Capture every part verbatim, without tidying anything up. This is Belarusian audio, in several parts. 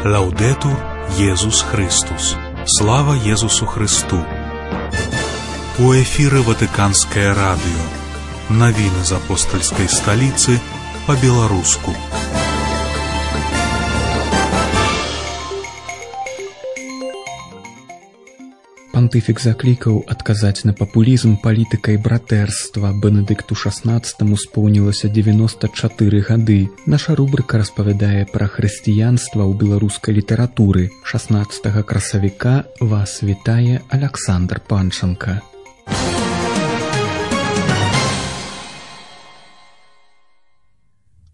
Лаўдэтур Езус Христус. Слава Езусу Христу. У эфіры Ватыканскае радыё. Навіны з апостальскай сталіцы па-беларуску. Пантыфік заклікаў адказаць на папулізм палітыкай братэрства. Бенедыкту шаснаццатаму споўнілася дзевяноста чатыры гады. Наша рубрыка распавядае пра хрысціянства ў беларускай літаратуры. шаснаццатага красавіка вас вітае Аляксандр Панчанка.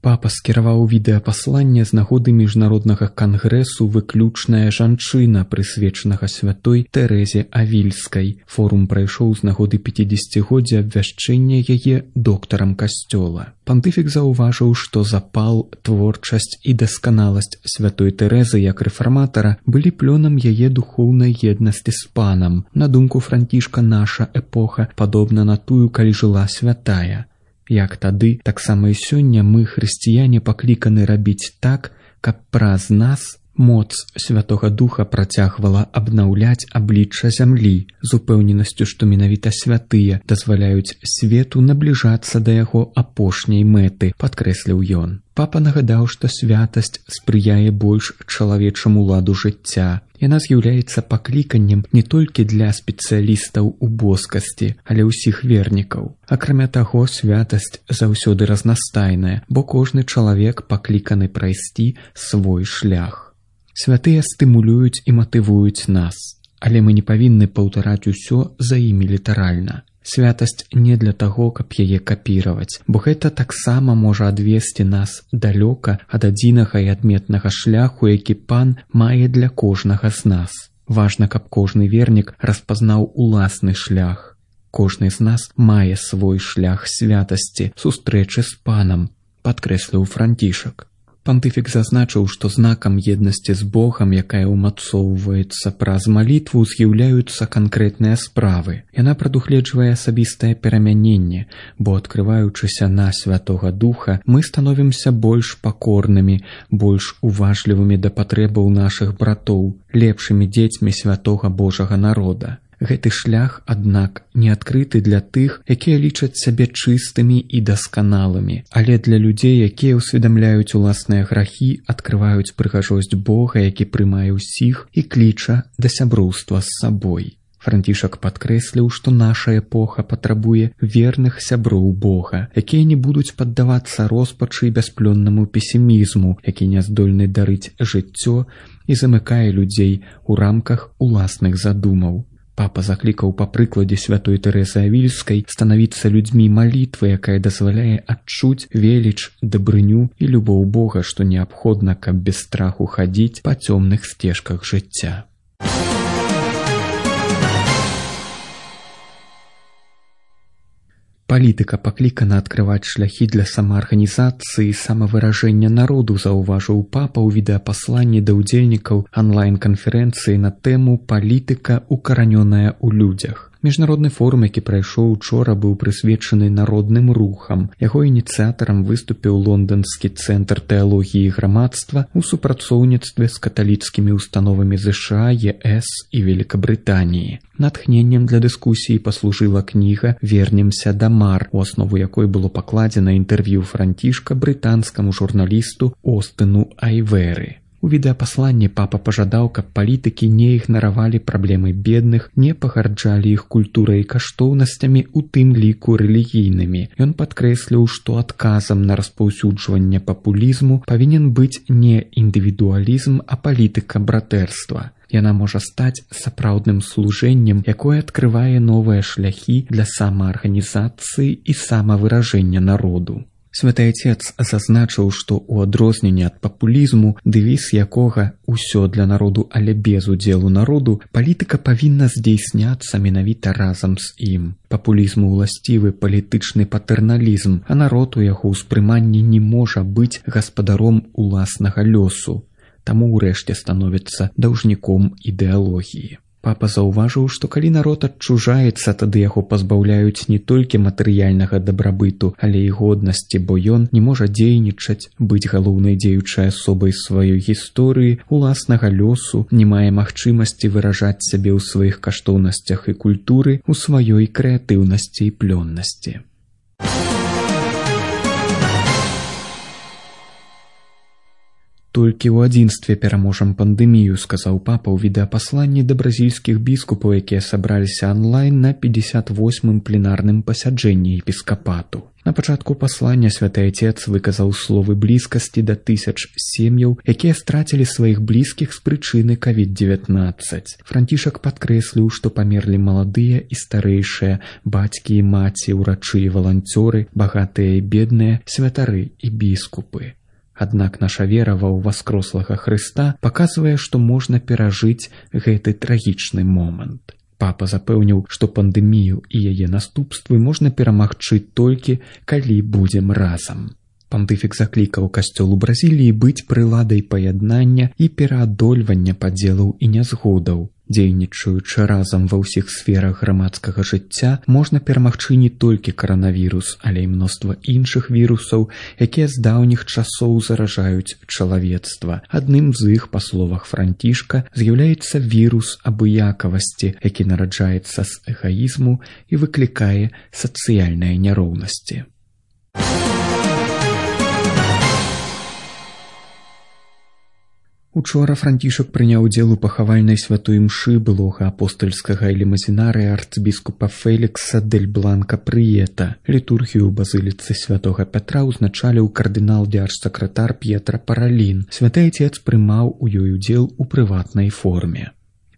Папа скіраваў відэапасланне з нагоды міжнароднага кангрэсу «Выключная жанчына», прысвечанага святой Тэрэзе Авільскай. Форум прайшоў з нагоды пяцідзесяцігоддзя абвяшчэння яе доктарам касцёла. Пантыфік заўважыў, што запал, творчасць і дасканаласць святой Тэрэзы як рэфарматара былі плёнам яе духоўнай еднасці з панам. На думку Францішка, наша эпоха падобна на тую, калі жыла святая. Як тады, таксама і сёння мы, хрысціяне, пакліканы рабіць так, каб праз нас моц Святога Духа працягвала абнаўляць аблічча зямлі, з упэўненасцю, што менавіта святыя дазваляюць свету набліжацца да яго апошняй мэты, падкрэсліў ён. Папа нагадаў, што святасць спрыяе больш чалавечаму ладу жыцця. Яна з'яўляецца пакліканнем не толькі для спецыялістаў у боскасці, але ўсіх вернікаў. Акрамя таго, святасць заўсёды разнастайная, бо кожны чалавек пакліканы прайсці свой шлях. Святыя стымулююць і матывуюць нас, але мы не павінны паўтараць усё за імі літаральна. Святасць не для таго, каб яе капіраваць, бо гэта таксама можа адвесці нас далёка ад адзінага і адметнага шляху, які пан мае для кожнага з нас. Важна, каб кожны вернік распазнаў уласны шлях. Кожны з нас мае свой шлях святасці, сустрэчы з панам, падкрэсліў Францішак. Пантыфік зазначыў, што знакам еднасці з Богам, якая ўмацоўваецца праз малітву, з'яўляюцца канкрэтныя справы. Яна прадугледжвае асабістае перамяненне, бо, адкрываючыся на Святога Духа, мы становімся больш пакорнымі, больш уважлівымі да патрэбаў нашых братоў, лепшымі дзецьмі святога Божага народа. Гэты шлях, аднак, не адкрыты для тых, якія лічаць сябе чыстымі і дасканалымі, але для людзей, якія ўсведамляюць уласныя грахі, адкрываюць прыгажосць Бога, які прымае ўсіх і кліча да сяброўства з сабой. Францішак падкрэсліў, што наша эпоха патрабуе верных сяброў Бога, якія не будуць паддавацца роспачы і бясплённаму песімізму, які не здольны дарыць жыццё і замыкае людзей у рамках уласных задумаў. Папа заклікаў па прыкладзе святой Тэрэзы Авільскай станавіцца людзьмі малітвы, якая дазваляе адчуць веліч, дабрыню і любоў Бога, што неабходна, каб без страху хадзіць па цёмных сцежках жыцця. Палітыка паклікана адкрываць шляхі для самаарганізацыі і самавыражэння народу, заўважыў папа ў відэапасланні да ўдзельнікаў онлайн-канферэнцыі на тэму «Палітыка укаранёная ў людзях». Міжнародны форум, які прайшоў учора, быў прысвечаны народным рухам. Яго ініцыятарам выступіў лонданскі цэнтр тэалогіі грамадства ў супрацоўніцтве з каталіцкімі ўстановамі ЗША, ЕС і Великабрытаніі. Натхненнем для дыскусіі паслужыла кніга «Вернемся да мар», у аснову якой было пакладзена інтэрв'ю Францішка брытанскаму журналісту Остыну Айвэры. У відэапасланні папа пажадаў, каб палітыкі не ігнаравалі праблемы бедных, не пагарджалі іх культурай і каштоўнасцямі, у тым ліку рэлігійнымі. Ён падкрэсліў, што адказам на распаўсюджванне папулізму павінен быць не індывідуалізм, а палітыка братэрства. Яна можа стаць сапраўдным служэннем, якое адкрывае новыя шляхі для самаарганізацыі і самавыражэння народу. Святы Отец зазначыў, што ў адрозненне ад папулізму, дэвіз якога «Усё для народу, але без удзелу народу», палітыка павінна здзейсняцца менавіта разам з ім. Папулізму ўласцівы палітычны патэрналізм, а народ у яго ўспрыманні не можа быць гаспадаром уласнага лёсу, таму ўрэшце становіцца даўжніком ідэалогіі. Папа заўважыў, што калі народ адчужаецца, тады яго пазбаўляюць не толькі матэрыяльнага дабрабыту, але і годнасці, бо ён не можа дзейнічаць, быць галоўнай дзеючай асобай сваёй гісторыі, уласнага лёсу, не мае магчымасці выражаць сябе ў сваіх каштоўнасцях і культуры, у сваёй крэатыўнасці і плённасці. Толькі ў адзінстве пераможам пандэмію, сказаў папа ў відэапасланні да бразільскіх біскупаў, якія сабраліся онлайн на пятьдесят восьмым пленарным пасяджэнні епіскапату. На пачатку паслання святы Отец выказаў словы блізкасці да тысяч сем'яў, якія страцілі сваіх блізкіх з прычыны ковід дзевятнаццаць. Францішак падкрэсліў, што памерлі маладыя і старэйшыя, бацькі і маці, урачы і валанцёры, багатыя і бедныя, святары і біскупы. Аднак наша вера ва ўваскрослага Хрыста паказвае, што можна перажыць гэты трагічны момант. Папа запэўніў, што пандэмію і яе наступствы можна перамагчы толькі, калі будзем разам. Пантыфік заклікаў касцёл у Бразіліі быць прыладай паяднання і пераадольвання падзелаў і нязгодаў. Дзейнічаючы разам ва ўсіх сферах грамадскага жыцця, можна перамагчы не толькі каранавірус, але і мноства іншых вірусаў, якія з даўніх часоў заражаюць чалавецтва. Адным з іх, па словах Францішка, з'яўляецца вірус абыякавасці, які нараджаецца з эгаізму і выклікае сацыяльныя няроўнасці. Учора Францішак прыняў удзел у пахавальнай святой імшы былога апостальскага элемазінарыя арцбіскупа Фелікса дель Бланка Прыета. Літургію ў базыліцы святога Пятра ўзначаліў кардынал дзяржсакратар П'етра Паралін. Святы Отец прымаў у ёй удзел у прыватнай форме.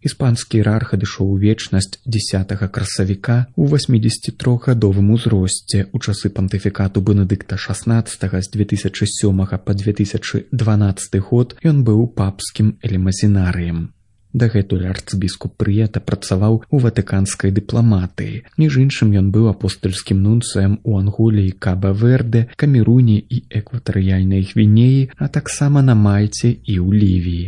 Іспанскі іерарх адышоў у вечнасць дзесятага красавіка ў васьмідзесятитрохгадовым узросце. У часы пантыфікату Бенедыкта шаснаццатага з две тысячы сёмага па две тысячы дванаццаты год ён быў папскім элемазінарыем. Дагэтуль арцбіскуп Прыета працаваў у ватыканскай дыпламатыі. Між іншым ён быў апостальскім нунцыем у Анголі і Каба-Верде, Камеруне і экватарыяльнай Гвінеі, а таксама на Мальце і ў Лівіі.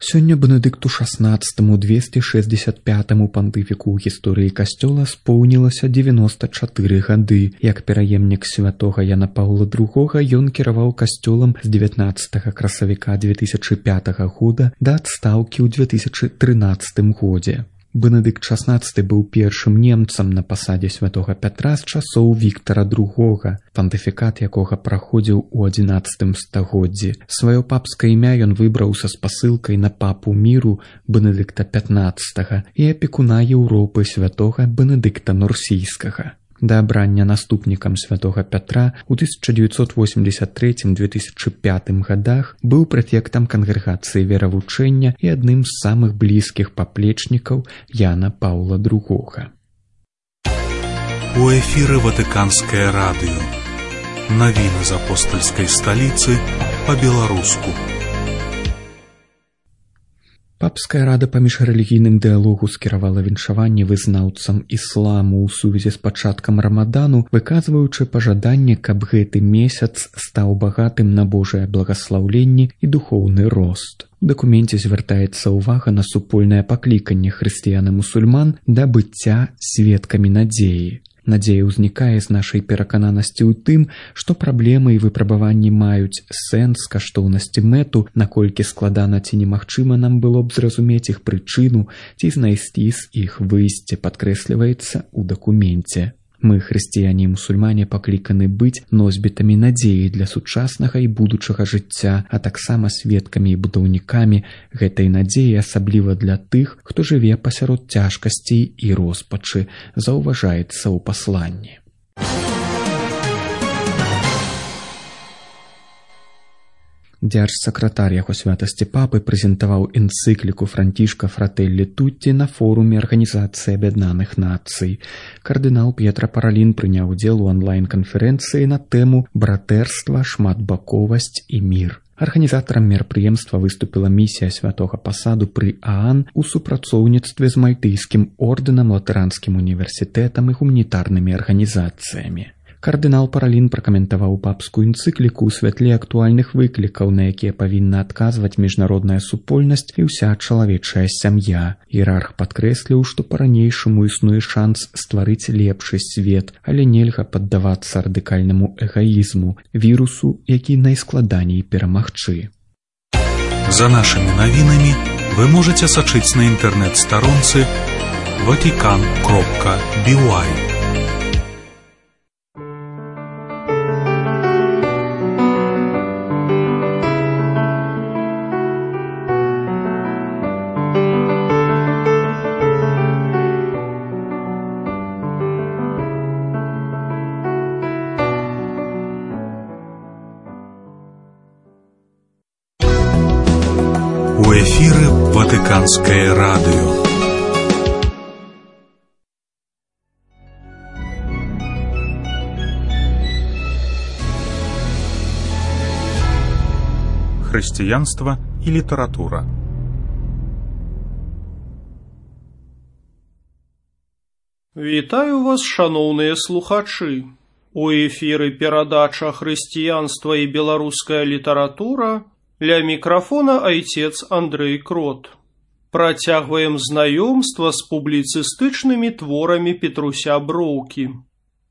Сёння Бенедыкту шаснаццатаму двесце шэсцьдзесят пятаму пантыфіку ў гісторыі касцёла споўнілася дзевяноста чатыры гады. Як пераемнік святога Яна Паўла другога ён кіраваў касцёлам з дзевятнаццатага красавіка две тысячы пятага года да адстаўкі ў две тысячы трынаццатым годзе. Бенедыкт шаснаццаты быў першым немцам на пасадзе святога Пятра з часоў Віктара другога, пантыфікат якога праходзіў у адзінаццатым стагоддзі. Сваё папскае імя ён выбраў са спасылкай на папу міру Бенедыкта пятнаццатага і апекуна Еўропы святога Бенедыкта Нурсійскага. Да абрання наступнікам святога Пятра ў тысяча дзевяцьсот восемьдесят трэцім — две тысячы пятым годах быў прэфектам кангрэгацыі веравучэння і адным з самых блізкіх паплечнікаў Яна Паўла другога. У эфіры Ватыканскае радыё. Навіны з апостальскай сталіцы па-беларуску. Папская рада па міжрэлігійным дыялогу скіравала віншаванне вызнаўцам ісламу ў сувязі з пачаткам рамадану, выказваючы пажаданне, каб гэты месяц стаў багатым на Божае благаслаўленне і духоўны рост. У дакуменце звяртаецца ўвага на супольнае пакліканне хрысціян і мусульман да быцця сведкамі надзеі. Надзея ўзнікае з нашай перакананасці ў тым, што праблемы і выпрабаванні маюць сэнс, каштоўнасці, мэту, наколькі складана ці немагчыма нам было б зразумець іх прычыну ці знайсці з іх выйсце, падкрэсліваецца ў дакуменце. Мы, хрысціяне і мусульмане, пакліканы быць носьбітамі надзеі для сучаснага і будучага жыцця, а таксама сведкамі і будаўнікамі гэтай надзеі, асабліва для тых, хто жыве пасярод цяжкасцей і роспачы, заўважаецца ў пасланні. Дзяржсакратар яго святасці папы прэзентаваў энцыкліку Францішка Фрателлі Тутті на форуме Арганізацыі Аб'яднаных Нацый. Кардынал П'етра Паралін прыняў удзел у онлайн-канферэнцыі на тэму «Братэрства, шматбаковасць і мір». Арганізатарам мерапрыемства выступіла місія святога пасаду пры ААН у супрацоўніцтве з мальтыйскім ордэнам, латаранскім універсітэтам і гуманітарнымі арганізацыямі. Кардынал Паралін пракаментаваў папскую энцыкліку ў святле актуальных выклікаў, на якія павінна адказваць міжнародная супольнасць і ўся чалавечая сям'я. Іерарх падкрэсліў, што па-ранейшаму існуе шанс стварыць лепшы свет, але нельга паддавацца радыкальнаму эгаізму, вірусу, які найскладаней перамагчы. За нашими навінамі вы можете сачыць на інтэрнэт-старонцы ватикан кропка би уай. У эфіры Ватыканскае радыё. Хрысціянства і літаратура. Вітаю вас, шаноўныя слухачы. У эфіры перадача «Хрысціянства і беларуская літаратура». Ля мікрафона айцец Андрэй Крот. Працягваем знаёмства з публіцыстычнымі творамі Петруся Броўкі.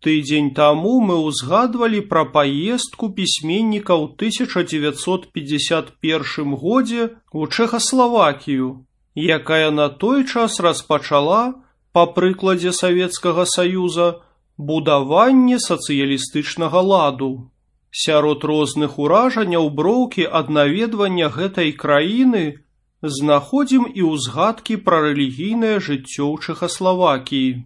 Тыдзень таму мы ўзгадвалі пра паездку пісьменніка ў тысяча дзевяцьсот пятьдесят першым годзе ў Чэхаславакію, якая на той час распачала, па прыкладзе Савецкага Саюза, будаванне сацыялістычнага ладу. Сярод розных уражанняў Броўкі ад наведвання гэтай краіны знаходзім і ўзгадкі пра рэлігійнае жыццё ў Чэхаславакіі.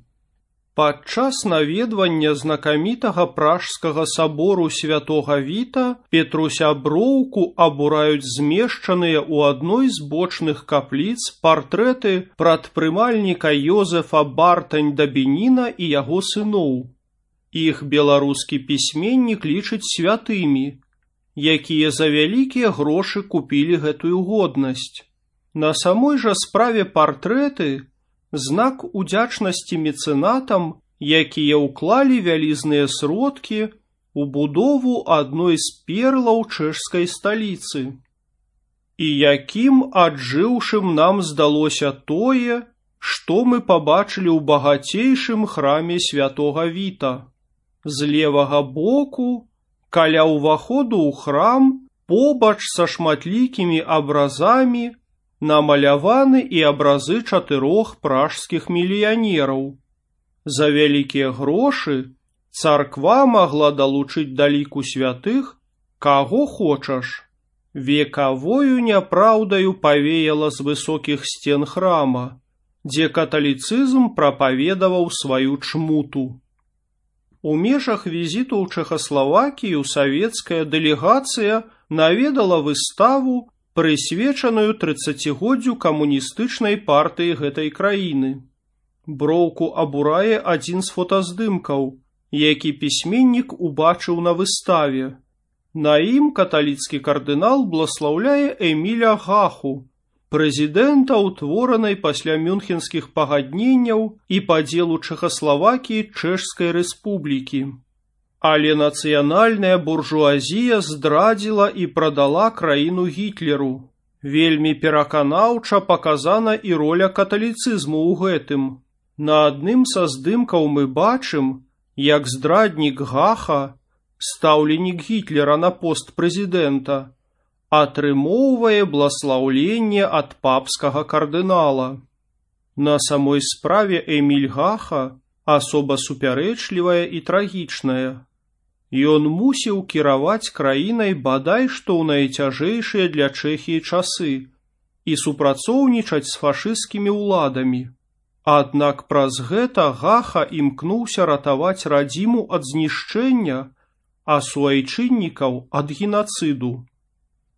Падчас наведвання знакамітага пражскага сабору святога Віта Петруся Броўку абураюць змешчаныя ў адной з бочных капліц партрэты прадпрымальніка Ёзефа Бартань-да Беніна і яго сыноў. Іх беларускі пісьменнік лічыць святымі, якія за вялікія грошы купілі гэтую годнасць. На самой жа справе партрэты – знак удзячнасці мецэнатам, якія ўклалі вялізныя сродкі ў будову адной з перлаў чэшскай сталіцы. І якім аджыўшым нам здалося тое, што мы пабачылі ў багацейшым храме святога Віта. З левага боку, каля ўваходу ў храм, побач са шматлікімі абразамі, намаляваны і абразы чатырох пражскіх мільянераў. За вялікія грошы царква магла далучыць да ліку святых каго хочаш. Векавою няпраўдаю павеяла з высокіх сцен храма, дзе каталіцызм прапаведаваў сваю чмуту. У межах візіту ў Чэхаславакію савецкая дэлегацыя наведала выставу, прысвечаную трыццацігоддзю камуністычнай партыі гэтай краіны. Броўку абурае адзін з фотаздымкаў, які пісьменнік убачыў на выставе. На ім каталіцкі кардынал бласлаўляе Эміля Гаху, прэзідэнта ўтворанай пасля мюнхенскіх пагадненняў і падзелу Чэхаславакіі Чэшскай рэспублікі. Але нацыянальная буржуазія здрадзіла і прадала краіну Гітлеру. Вельмі пераканаўча паказана і роля каталіцызму ў гэтым. На адным са здымкаў мы бачым, як здраднік Гаха, стаўленік Гітлера на пост прэзідэнта, атрымоўвае бласлаўленне ад папскага кардынала. На самой справе Эміль Гаха асоба супярэчлівая і трагічная. Ён мусіў кіраваць краінай бадай што ў найцяжэйшыя для Чэхіі часы і супрацоўнічаць з фашысцкімі ўладамі. Аднак праз гэта Гаха імкнуўся ратаваць радзіму ад знішчэння, а суайчыннікаў ад генацыду.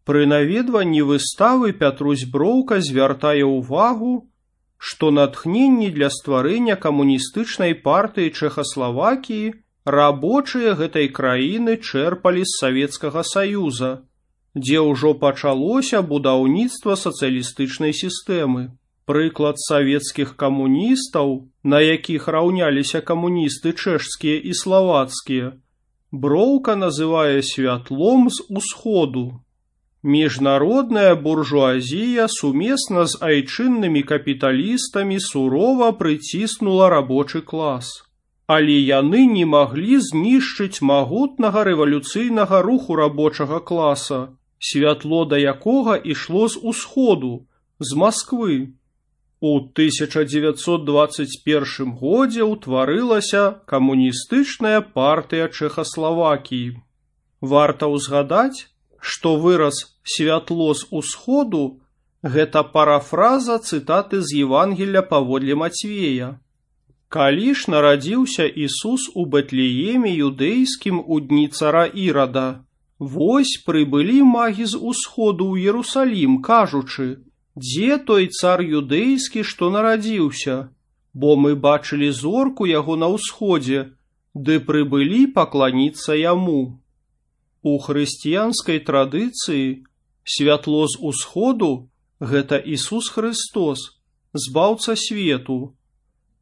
Пры наведванні выставы Пятрусь Броўка звяртае ўвагу, што натхненні для стварэння камуністычнай партыі Чэхаславакіі рабочыя гэтай краіны чэрпалі з Савецкага Саюза, дзе ўжо пачалося будаўніцтва сацыялістычнай сістэмы. Прыклад савецкіх камуністаў, на якіх раўняліся камуністы чэшскія і славацкія, Броўка называе святлом з усходу. Міжнародная буржуазія сумесна з айчыннымі капіталістамі сурова прыціснула рабочы клас. Але яны не маглі знішчыць магутнага рэвалюцыйнага руху рабочага класа, святло да якога ішло з усходу, з Масквы. У тысяча дзевяцьсот дваццаць першым годзе ўтварылася камуністычная партыя Чэхаславакіі. Варта ўзгадаць, што выраз «святло з усходу» – гэта парафраза цытаты з Евангелля паводле Мацвея. Калі ж нарадзіўся Ісус у Бэтлееме юдэйскім у дні цара Ірада, вось прыбылі магі з усходу ў Ерусалім, кажучы: «Дзе той цар юдэйскі, што нарадзіўся? Бо мы бачылі зорку яго на ўсходзе, ды прыбылі пакланіцца яму». У хрысціянскай традыцыі святло з усходу – гэта Ісус Хрыстос, збаўца свету.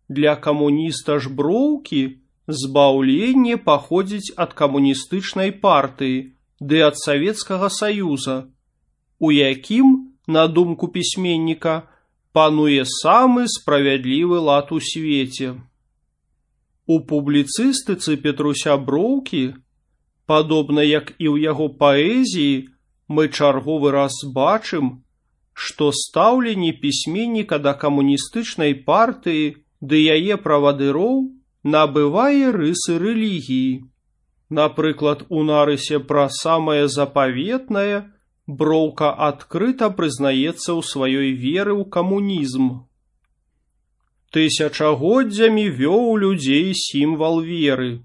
Для камуніста ж Броўкі збаўленне паходзіць ад камуністычнай партыі ды ад Савецкага Саюза, у якім, на думку пісьменніка, пануе самы справядлівы лад у свеце. У публіцыстыцы Петруся Броўкі, падобна як і ў яго паэзіі, мы чарговы раз бачым, што стаўленне пісьменніка да камуністычнай партыі ды яе правадыроў набывае рысы рэлігіі. Напрыклад, у нарысе пра самае запаветнае Броўка адкрыта прызнаецца ў сваёй веры ў камунізм. Тысячагоддзямі вёў людзей сімвал веры.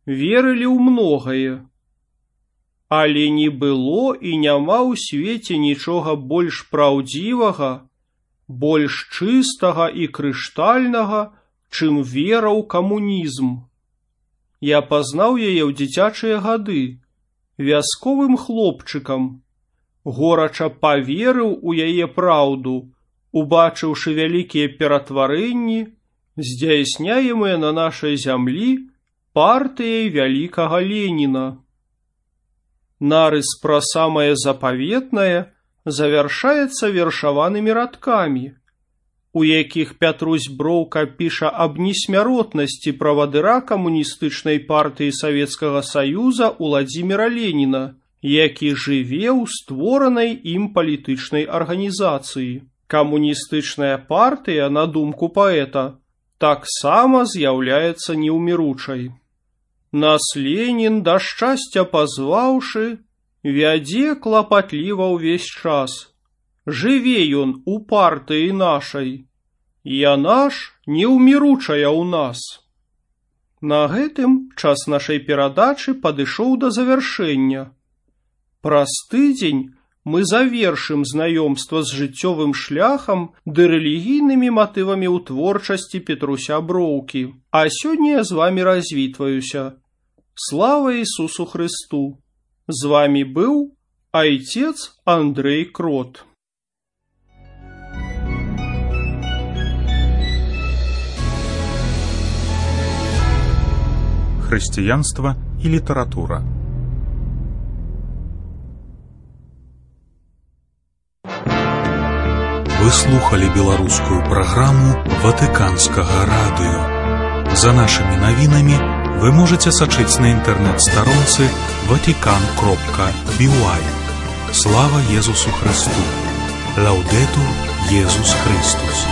Верылі ў многае. Але не было і няма ў свеце нічога больш праўдзівага, больш чыстага і крыштальнага, чым вера ў камунізм. Я пазнаў яе ў дзіцячыя гады, вясковым хлопчыкам, горача паверыў у яе праўду, убачыўшы вялікія ператварэнні, здзяйсняемыя на нашай зямлі партыяй вялікага Леніна. Нарыс пра самае запаветнае завяршаецца вершаванымі радкамі, у якіх Пятрусь Броўка піша аб несмяротнасці правадыра камуністычнай партыі Савецкага Саюза Уладзіміра Леніна, які жыве ў створанай ім палітычнай арганізацыі. Камуністычная партыя, на думку паэта, таксама з'яўляецца неўміручай. Нас Ленін, да шчасця пазваўшы, вядзе клапатліва ўвесь час. Жыве ён у партыі нашай. Яна ж неўміручая ў нас. На гэтым час нашай перадачы падышоў да завяршэння. Праз тыдзень мы завершым знаёмства з жыццёвым шляхам ды рэлігійнымі матывамі ў творчасці Петруся Броўкі. А сёння я з вамі развітваюся. Слава Ісусу Христу! З вамі быў айцец Андрэй Крот. Хрысціянства і літаратура. Вы слухали беларускую праграму Ватыканскага радыё. За нашымі навінамі вы можете сачыць на інтэрнэт-старонцы ватикан кропка би уай. Слава Езусу Христу! Лаўдэтур Езус Христус!